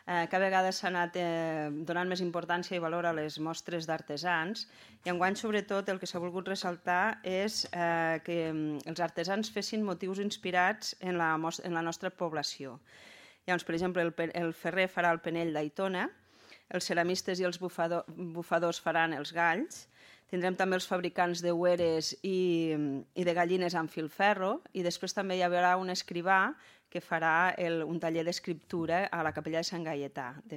Cada vegada s'ha anat donant més importància i valor a les mostres d'artesans i enguany, sobretot, el que s'ha volgut ressaltar és que els artesans fessin motius inspirats en la nostra població. Llavors, per exemple, el ferrer farà el penell d'Aitona, els ceramistes i els bufadors faran els galls, tindrem també els fabricants de hueres i de gallines amb filferro i després també hi haurà un escrivà que farà un taller d'escriptura a la capella de Sant Gaietà. De